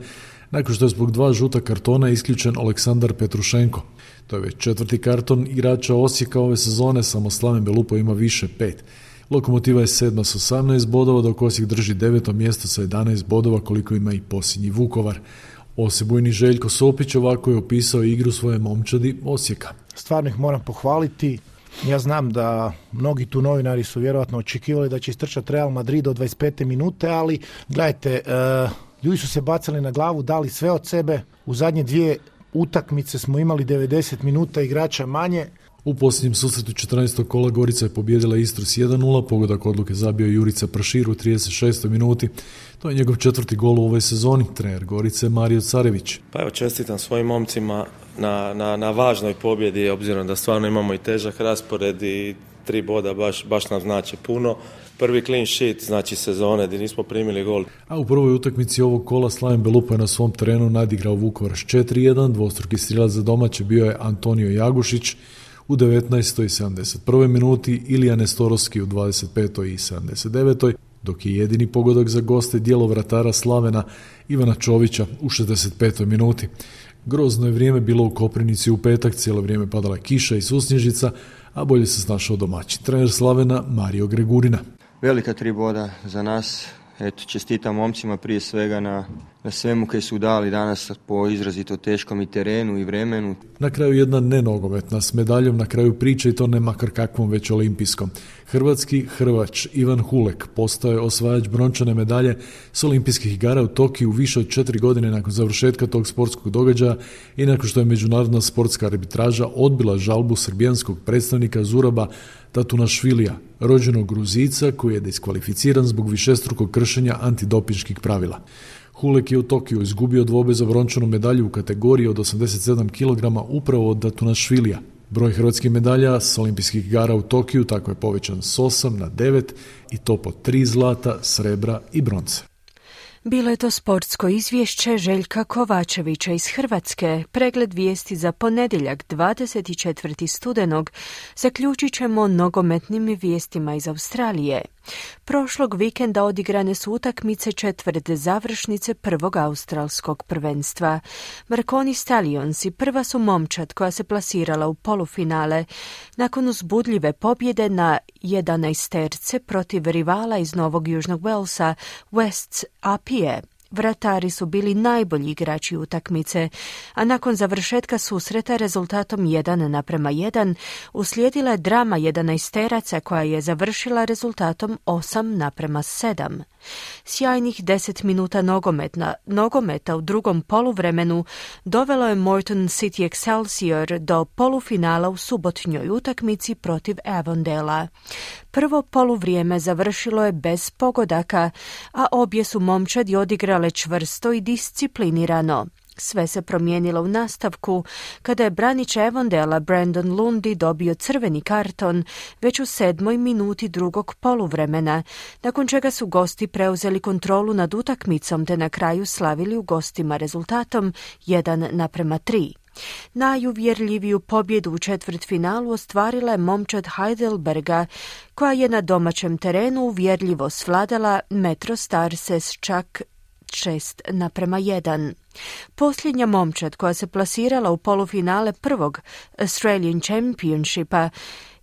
nakon što je zbog dva žuta kartona isključen Aleksandar Petrušenko. To je već četvrti karton igrača Osijeka ove sezone, samo Slaven Belupo ima više pet. Lokomotiva je sedma s osamnaest bodova, dok Osijek drži deveto mjesto sa jedanaest bodova, koliko ima i posljednji Vukovar. Osebujni Željko Sopić ovako je opisao igru svoje momčadi Osijeka. Stvarno ih moram pohvaliti. Ja znam da mnogi tu novinari su vjerojatno očekivali da će istrčati Real Madrid do dvadeset pete minute, ali gledajte, uh, ljudi su se bacali na glavu, dali sve od sebe. U zadnje dvije utakmice smo imali devedeset minuta igrača manje. U posljednjem susretu četrnaestog kola Gorica je pobijedila Istru s jedan nula, pogodak odluke zabio Jurica Prašir u trideset šestoj minuti. To je njegov četvrti gol u ovoj sezoni. Trener Gorice Mario Carević. Pa evo, čestitam svojim momcima na, na, na važnoj pobjedi, obzirom da stvarno imamo i težak raspored i tri boda baš, baš nam znači puno. Prvi clean sheet znači sezone gdje nismo primili gol. A u prvoj utakmici ovog kola Slaven Belupo je na svom terenu nadigrao Vukovar s četiri jedan, dvostruki strilac za domaće bio je Antonio Jagušić u devetnaestoj i sedamdeset prvoj minuti, Ilija Nestorovski u dvadeset petoj i sedamdeset devetoj, dok je jedini pogodak za goste djelo vratara Slavena Ivana Čovića u šezdeset petoj minuti. Grozno je vrijeme bilo u Koprivnici u petak, cijelo vrijeme padala je kiša i susnježica, a bolje se snašao domaćin. Trener Slavena Mario Gregurina. Velika tri boda za nas. Eto, čestitam momcima prije svega na, na svemu koji su dali danas po izrazito teškom i terenu i vremenu. Na kraju jedna nenogometna s medaljom na kraju priče, i to ne makar kakvom, već olimpijskom. Hrvatski Hrvač Ivan Hulek postao je osvajač brončane medalje s olimpijskih igara u Tokiju više od četiri godine nakon završetka tog sportskog događaja i nakon što je međunarodna sportska arbitraža odbila žalbu srbijanskog predstavnika Zuraba Tatunašvilija, rođenog Gruzica koji je diskvalificiran zbog višestrukog kršenja antidopinških pravila. Hulek je u Tokiju izgubio dvobe za brončanu medalju u kategoriji od osamdeset sedam kilograma upravo od Tatunašvilija. Broj hrvatskih medalja s olimpijskih igara u Tokiju tako je povećan s osam na devet i to po tri zlata, srebra i bronce. Bilo je to sportsko izvješće Željka Kovačevića iz Hrvatske. Pregled vijesti za ponedjeljak dvadeset četvrtog studenog zaključit ćemo nogometnim vijestima iz Australije. Prošlog vikenda odigrane su utakmice četvrte završnice prvog australskog prvenstva. Marconi Stallionsi prva su momčad koja se plasirala u polufinale nakon uzbudljive pobjede na jedanaesterce protiv rivala iz Novog Južnog Walesa, West Apije. Vratari su bili najbolji igrači utakmice, a nakon završetka susreta rezultatom jedan naprema jedan uslijedila je drama jedanaesteraca koja je završila rezultatom osam naprema sedam. Sjajnih deset minuta nogometna, nogometa u drugom poluvremenu dovelo je Moreton City Excelsior do polufinala u subotnjoj utakmici protiv Avondela. Prvo poluvrijeme završilo je bez pogodaka, a obje su momčadi odigrale čvrsto i disciplinirano. Sve se promijenilo u nastavku kada je branič Avondela Brandon Lundy dobio crveni karton već u sedmoj minuti drugog poluvremena, nakon čega su gosti preuzeli kontrolu nad utakmicom te na kraju slavili u gostima rezultatom jedan naprema tri. Najuvjerljiviju pobjedu u četvrtfinalu ostvarila je momčad Heidelberga, koja je na domaćem terenu uvjerljivo svladala Metro Starse s čak šest naprema jedan. Posljednja momčad koja se plasirala u polufinale prvog Australian Championshipa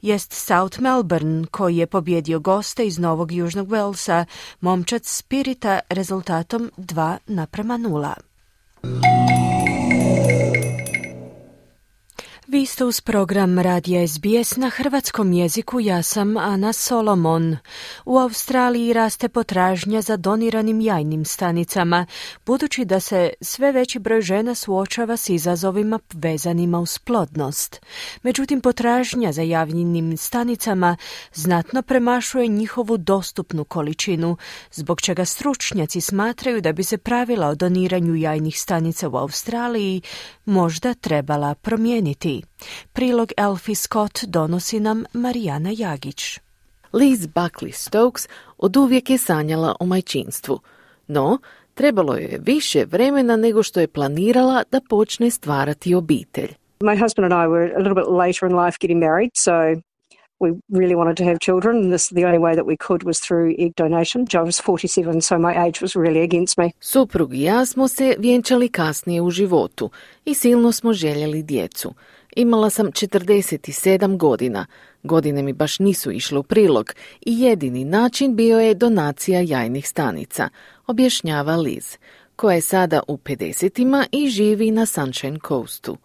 jest South Melbourne, koji je pobjedio goste iz Novog Južnog Walesa, momčad Spirita, rezultatom dva naprema nula. Vi ste uz program Radija S B S na hrvatskom jeziku, ja sam Ana Solomon. U Australiji raste potražnja za doniranim jajnim stanicama, budući da se sve veći broj žena suočava s izazovima vezanima uz plodnost. Međutim, potražnja za jajnim stanicama znatno premašuje njihovu dostupnu količinu, zbog čega stručnjaci smatraju da bi se pravila o doniranju jajnih stanica u Australiji možda trebala promijeniti. Prilog Elfie Scott donosi nam Marijana Jagić. Liz Buckley Stokes Oduvijek je sanjala o majčinstvu, no trebalo joj je više vremena nego što je planirala da počne stvarati obitelj. My husband and I were a little bit later in life getting married, so we really wanted to have children, and this, the only way that we could was through egg donation. I was forty-seven, so my age was really against me. Suprug i ja smo se vjenčali kasnije u životu i silno smo željeli djecu. Imala sam četrdeset sedam godina. Godine mi baš nisu išle u prilog i jedini način bio je donacija jajnih stanica, objašnjava Liz, koja je sada u pedesetima i živi na Sunshine Coastu.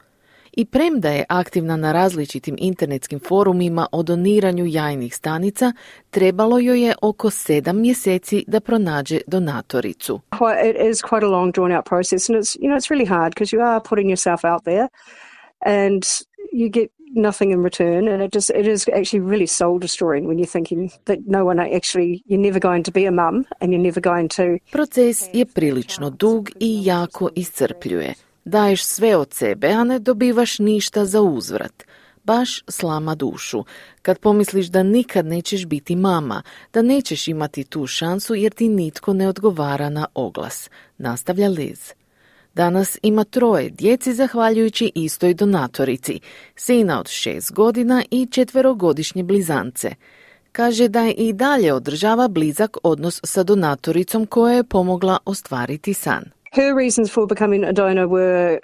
I premda je aktivna na različitim internetskim forumima o doniranju jajnih stanica, trebalo joj je oko sedam mjeseci da pronađe donatoricu. It is quite a long drawn out process, and it's, you know, it's really hard because you are putting yourself out there and you get nothing in return, and it just it is actually really soul destroying when you're thinking that no one actually, you're never going to be a mum and you're never going to. Proces je prilično dug i jako iscrpljuje. Daješ sve od sebe, a ne dobivaš ništa za uzvrat. Baš slama dušu. Kad pomisliš da nikad nećeš biti mama, da nećeš imati tu šansu jer ti nitko ne odgovara na oglas, nastavlja Liz. Danas ima troje djeci zahvaljujući istoj donatorici, sina od šest godina i četverogodišnje blizance. Kaže da je i dalje održava blizak odnos sa donatoricom koja je pomogla ostvariti san. Her reasons for becoming a donor were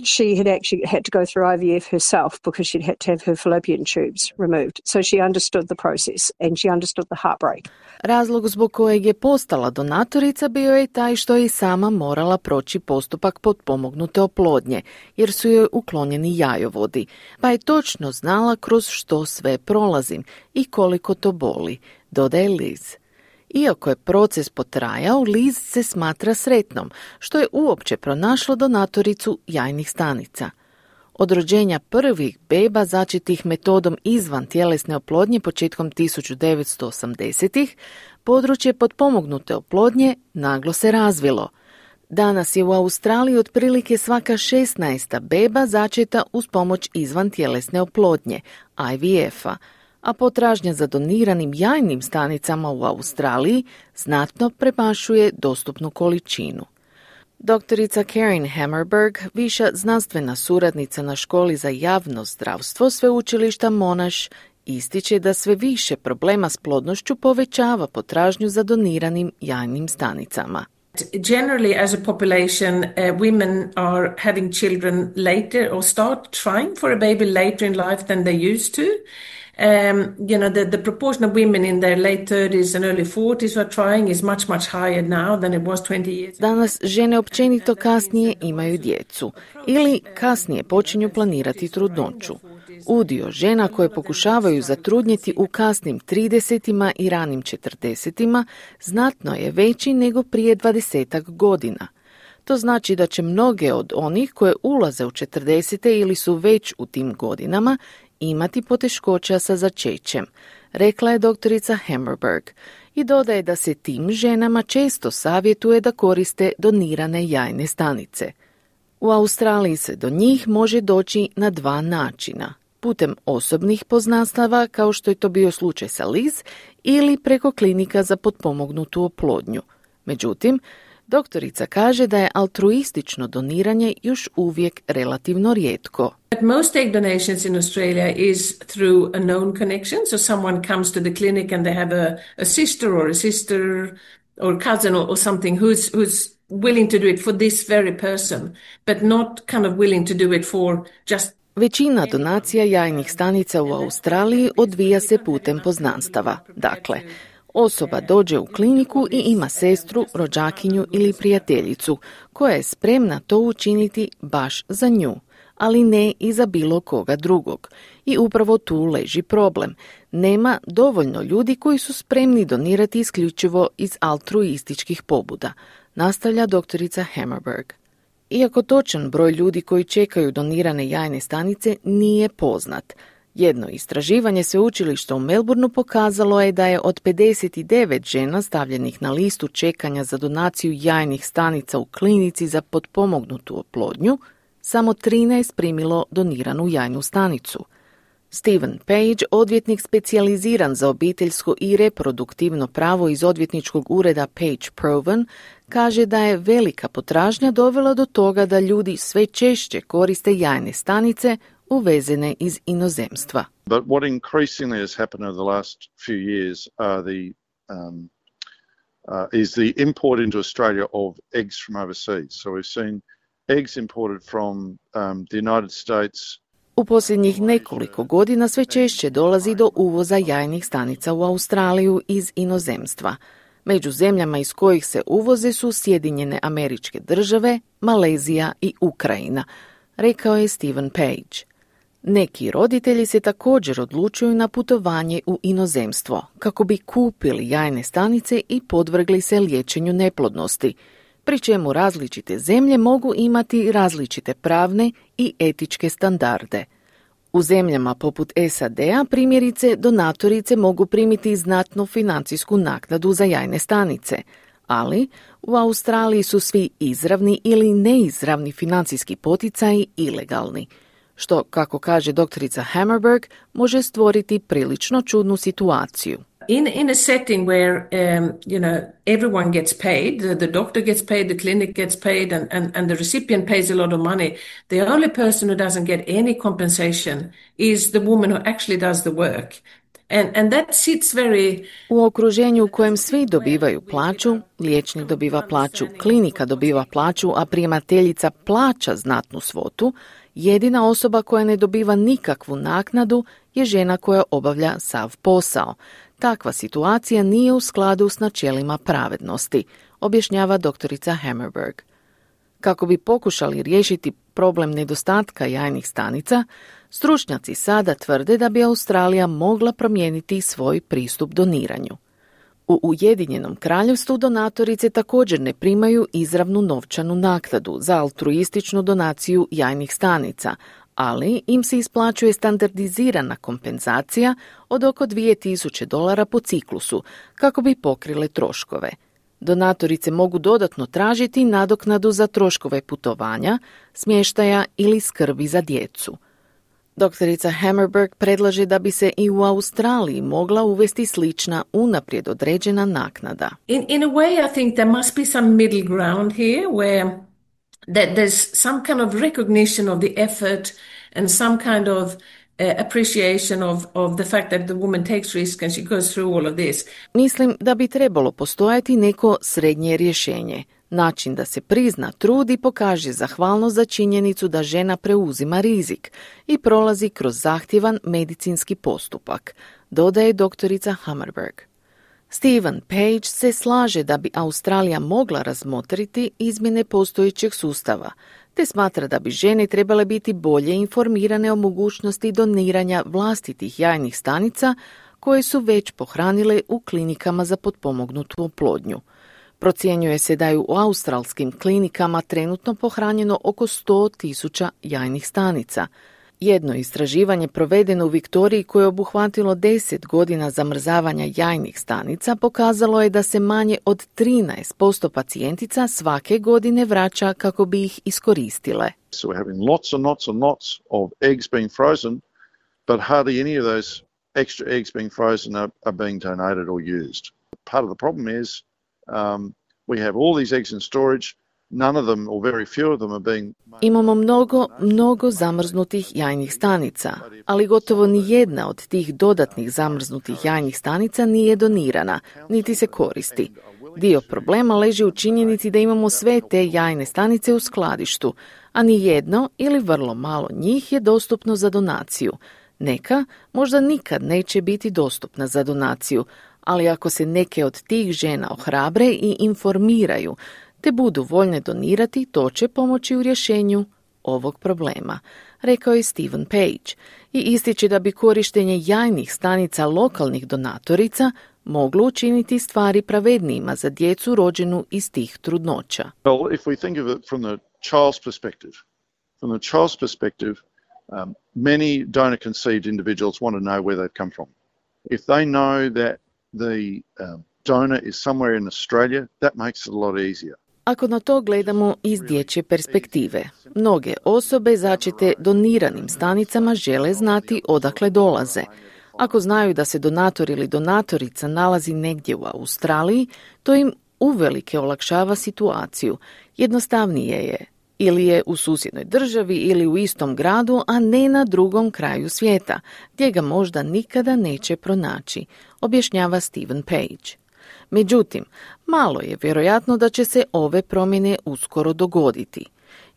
she had actually had to go through I V F herself because she'd had to have her fallopian tubes removed. So she understood the process and she understood the heartbreak. Razlog zbog kojeg je postala donatorica bio je taj što je i sama morala proći postupak potpomognute oplodnje, jer su joj uklonjeni jajovodi, pa je točno znala kroz što sve prolazim i koliko to boli, dodaje Liz. Iako je proces potrajao, Liz se smatra sretnom, što je uopće pronašlo donatoricu jajnih stanica. Od rođenja prvih beba začetih metodom izvan tjelesne oplodnje početkom tisuću devetsto osamdesetih, područje potpomognute oplodnje naglo se razvilo. Danas je u Australiji otprilike svaka šesnaesta beba začeta uz pomoć izvan tjelesne oplodnje, I V F-a, a potražnja za doniranim jajnim stanicama u Australiji znatno premašuje dostupnu količinu. Doktorica Karen Hammerberg, viša znanstvena suradnica na školi za javno zdravstvo sveučilišta Monash, ističe da sve više problema s plodnošću povećava potražnju za doniranim jajnim stanicama. Generally, as a population, uh, women are having children later or start trying for a baby later in life than they used to. Um, you know, the, the proportion of women in their late thirties and early forties who are trying is much, much higher now than it was twenty years. Danas žene općenito kasnije imaju djecu ili kasnije počinju planirati trudnoću. Udio žena koje pokušavaju zatrudnjeti u kasnim tridesetima i ranim četrdesetima znatno je veći nego prije dvadesetak godina. To znači da će mnoge od onih koje ulaze u četrdesete ili su već u tim godinama imati poteškoća sa začećem, rekla je doktorica Hammerberg i dodaje da se tim ženama često savjetuje da koriste donirane jajne stanice. U Australiji se do njih može doći na dva načina, putem osobnih poznanstava kao što je to bio slučaj sa Liz ili preko klinika za potpomognutu oplodnju. Međutim, doktorica kaže da je altruistično doniranje još uvijek relativno rijetko. But most egg donations in Australia is through a known connection. So someone comes to the clinic and they have a, a sister or a sister or cousin or, or something who's, who's willing to do it for this very person, but not kind of willing to do it for just. Većina donacija jajnih stanica u Australiji odvija se putem poznanstava. Dakle, osoba dođe u kliniku i ima sestru, rođakinju ili prijateljicu koja je spremna to učiniti baš za nju, ali ne i za bilo koga drugog. I upravo tu leži problem. Nema dovoljno ljudi koji su spremni donirati isključivo iz altruističkih pobuda, nastavlja doktorica Hammerberg. Iako točan broj ljudi koji čekaju donirane jajne stanice nije poznat, jedno istraživanje sveučilišta u Melbourneu pokazalo je da je od pedeset devet žena stavljenih na listu čekanja za donaciju jajnih stanica u klinici za potpomognutu oplodnju, samo trinaest primilo doniranu jajnu stanicu. Stephen Page, odvjetnik specijaliziran za obiteljsko i reproduktivno pravo iz odvjetničkog ureda Page Provan, kaže da je velika potražnja dovela do toga da ljudi sve češće koriste jajne stanice uvezene iz inozemstva. But what increasingly has happened over the last few years are the um, uh, is the import into Australia of eggs from overseas. So we've seen eggs imported from um, the United States. U posljednjih nekoliko godina sve češće dolazi do uvoza jajnih stanica u Australiju iz inozemstva. Među zemljama iz kojih se uvoze su Sjedinjene Američke Države, Malezija i Ukrajina, rekao je Stephen Page. Neki roditelji se također odlučuju na putovanje u inozemstvo kako bi kupili jajne stanice i podvrgli se liječenju neplodnosti, pri čemu različite zemlje mogu imati različite pravne i etičke standarde. U zemljama poput S A D-a primjerice donatorice mogu primiti znatnu financijsku naknadu za jajne stanice, ali u Australiji su svi izravni ili neizravni financijski poticaji ilegalni, što, kako kaže doktorica Hammerberg, može stvoriti prilično čudnu situaciju. In in a setting where um, you know everyone gets paid, the, the doctor gets paid, the clinic gets paid, and, and, and the recipient pays a lot of money, the only person who doesn't get any compensation is the woman who actually does the work. And, and that sits very... U okruženju u kojem svi dobivaju plaću, liječnik dobiva plaću, klinika dobiva plaću, a primateljica plaća znatnu svotu, jedina osoba koja ne dobiva nikakvu naknadu je žena koja obavlja sav posao. Takva situacija nije u skladu s načelima pravednosti, objašnjava doktorica Hammerberg. Kako bi pokušali riješiti problem nedostatka jajnih stanica, stručnjaci sada tvrde da bi Australija mogla promijeniti svoj pristup doniranju. U Ujedinjenom Kraljevstvu donatorice također ne primaju izravnu novčanu naknadu za altruističnu donaciju jajnih stanica, ali im se isplaćuje standardizirana kompenzacija od oko dvije tisuće dolara po ciklusu kako bi pokrile troškove. Donatorice mogu dodatno tražiti nadoknadu za troškove putovanja, smještaja ili skrbi za djecu. Doktorica Hammerberg predlaže da bi se i u Australiji mogla uvesti slična unaprijed određena naknada. In, in a way I think there must be some middle ground here where that there's some kind of recognition of the effort and some kind of uh, appreciation of, of the fact that the woman takes risk and she goes through all of this. Mislim da bi trebalo postojati neko srednje rješenje. Način da se prizna trud i pokaže zahvalnost za činjenicu da žena preuzima rizik i prolazi kroz zahtjevan medicinski postupak, dodaje doktorica Hammerberg. Stephen Page se slaže da bi Australija mogla razmotriti izmjene postojećeg sustava, te smatra da bi žene trebale biti bolje informirane o mogućnosti doniranja vlastitih jajnih stanica koje su već pohranile u klinikama za potpomognutu oplodnju. Procjenjuje se da je u australskim klinikama trenutno pohranjeno oko sto tisuća jajnih stanica. Jedno istraživanje provedeno u Viktoriji koje je obuhvatilo deset godina zamrzavanja jajnih stanica pokazalo je da se manje od trinaest posto pacijentica svake godine vraća kako bi ih iskoristile. So we're having lots and lots and lots of eggs being frozen, but hardly any of those extra eggs being frozen are, are being donated or used. Part of the problem is um, we have all these eggs in storage. None of them, or very few of them, are being... Imamo mnogo, mnogo zamrznutih jajnih stanica, ali gotovo ni jedna od tih dodatnih zamrznutih jajnih stanica nije donirana, niti se koristi. Dio problema leži u činjenici da imamo sve te jajne stanice u skladištu, a ni jedno ili vrlo malo njih je dostupno za donaciju. Neka možda nikad neće biti dostupna za donaciju, ali ako se neke od tih žena ohrabre i informiraju, te budu voljne donirati, to će pomoći u rješenju ovog problema, rekao je Stephen Page i ističe da bi korištenje jajnih stanica lokalnih donatorica moglo učiniti stvari pravednijima za djecu rođenu iz tih trudnoća. Well, if we think of it from the child's perspective, from the child's perspective, um, many donor conceived individuals want to know where they've come from. If they know that the um, donor is somewhere in Australia, that makes it a lot easier. Ako na to gledamo iz dječje perspektive, mnoge osobe začete doniranim stanicama žele znati odakle dolaze. Ako znaju da se donator ili donatorica nalazi negdje u Australiji, to im uvelike olakšava situaciju. Jednostavnije je. Ili je u susjednoj državi ili u istom gradu, a ne na drugom kraju svijeta, gdje ga možda nikada neće pronaći, objašnjava Stephen Page. Međutim, malo je vjerojatno da će se ove promjene uskoro dogoditi.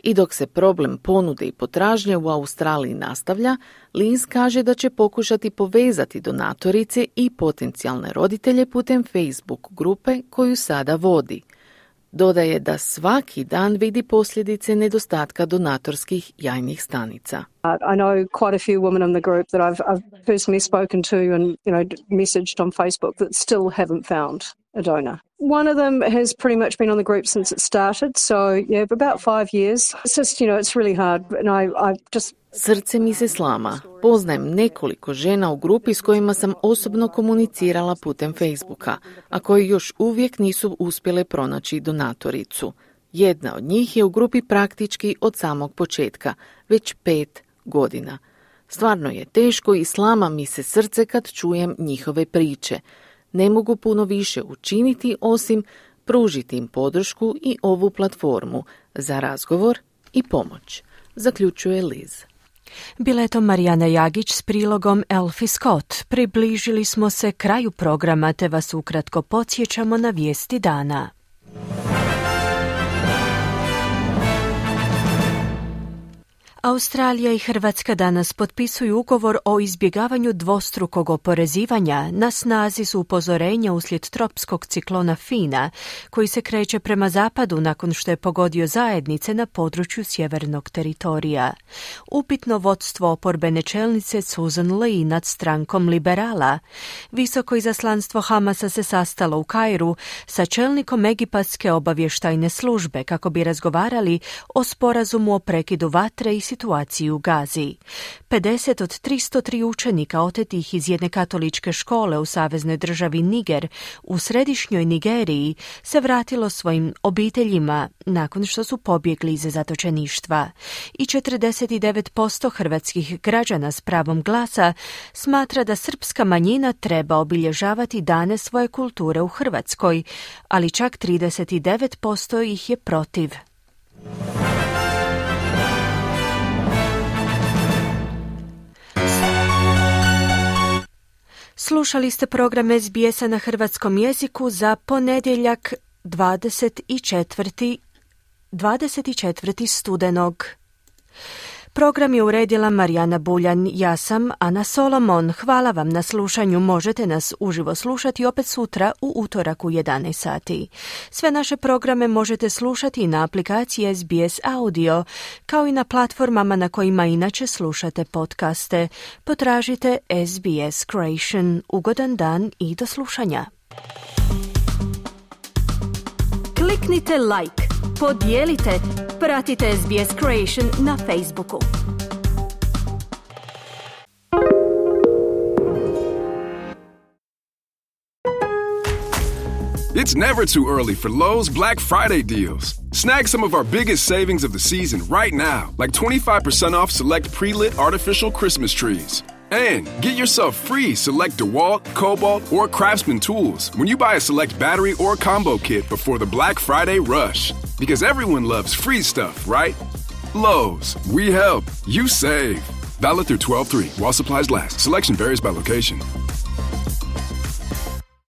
I dok se problem ponude i potražnje u Australiji nastavlja, Liz kaže da će pokušati povezati donatorice i potencijalne roditelje putem Facebook grupe koju sada vodi. Dodaje da svaki dan vidi posljedice nedostatka donatorskih jajnih stanica. I know quite a few women in the group that I've, I've personally spoken to and, you know, messaged on Facebook that still haven't found a donor. One of them has pretty much been on the group since it started, so yeah, for about five years. It's just, you know, it's really hard, and I, I just... Srce mi se slama. Poznajem nekoliko žena u grupi s kojima sam osobno komunicirala putem Facebooka, a koji još uvijek nisu uspjele pronaći donatoricu. Jedna od njih je u grupi praktički od samog početka, već pet godina. Stvarno je teško i slama mi se srce kad čujem njihove priče. Ne mogu puno više učiniti osim pružiti im podršku i ovu platformu za razgovor i pomoć, zaključuje Liz. Bila je to Marijana Jagić s prilogom Elfie Scott. Približili smo se kraju programa te vas ukratko podsjećamo na vijesti dana. Australija i Hrvatska danas potpisuju ugovor o izbjegavanju dvostrukog oporezivanja. Na snazi su upozorenja uslijed tropskog ciklona Fina, koji se kreće prema zapadu nakon što je pogodio zajednice na području sjevernog teritorija. Upitno vodstvo oporbene čelnice Susan Lee nad strankom liberala. Visoko izaslanstvo Hamasa se sastalo u Kairu sa čelnikom egipatske obavještajne službe kako bi razgovarali o sporazumu o prekidu vatre i situaciju u Gazi. pedeset od tristo tri učenika otetih iz jedne katoličke škole u saveznoj državi Niger u središnjoj Nigeriji se vratilo svojim obiteljima nakon što su pobjegli iz zatočeništva. I četrdeset devet posto hrvatskih građana s pravom glasa smatra da srpska manjina treba obilježavati dane svoje kulture u Hrvatskoj, ali čak trideset devet posto ih je protiv. Slušali ste program S B S-a na hrvatskom jeziku za ponedjeljak dvadeset četvrtog studenog. Program je uredila Marijana Buljan, ja sam Ana Solomon. Hvala vam na slušanju, možete nas uživo slušati opet sutra u utorak u jedanaest sati. Sve naše programe možete slušati na aplikaciji S B S Audio, kao i na platformama na kojima inače slušate podcaste. Potražite S B S Creation. Ugodan dan i do slušanja. Kliknite like, podijelite, pratite S B S Creation na Facebooku. It's never too early for Lowe's Black Friday deals. Snag some of our biggest savings of the season right now, like twenty-five percent off select pre-lit artificial Christmas trees. And get yourself free select DeWalt, Cobalt, or Craftsman tools when you buy a select battery or combo kit before the Black Friday rush. Because everyone loves free stuff, right? Lowe's, we help, you save. Valid through twelve three while supplies last. Selection varies by location.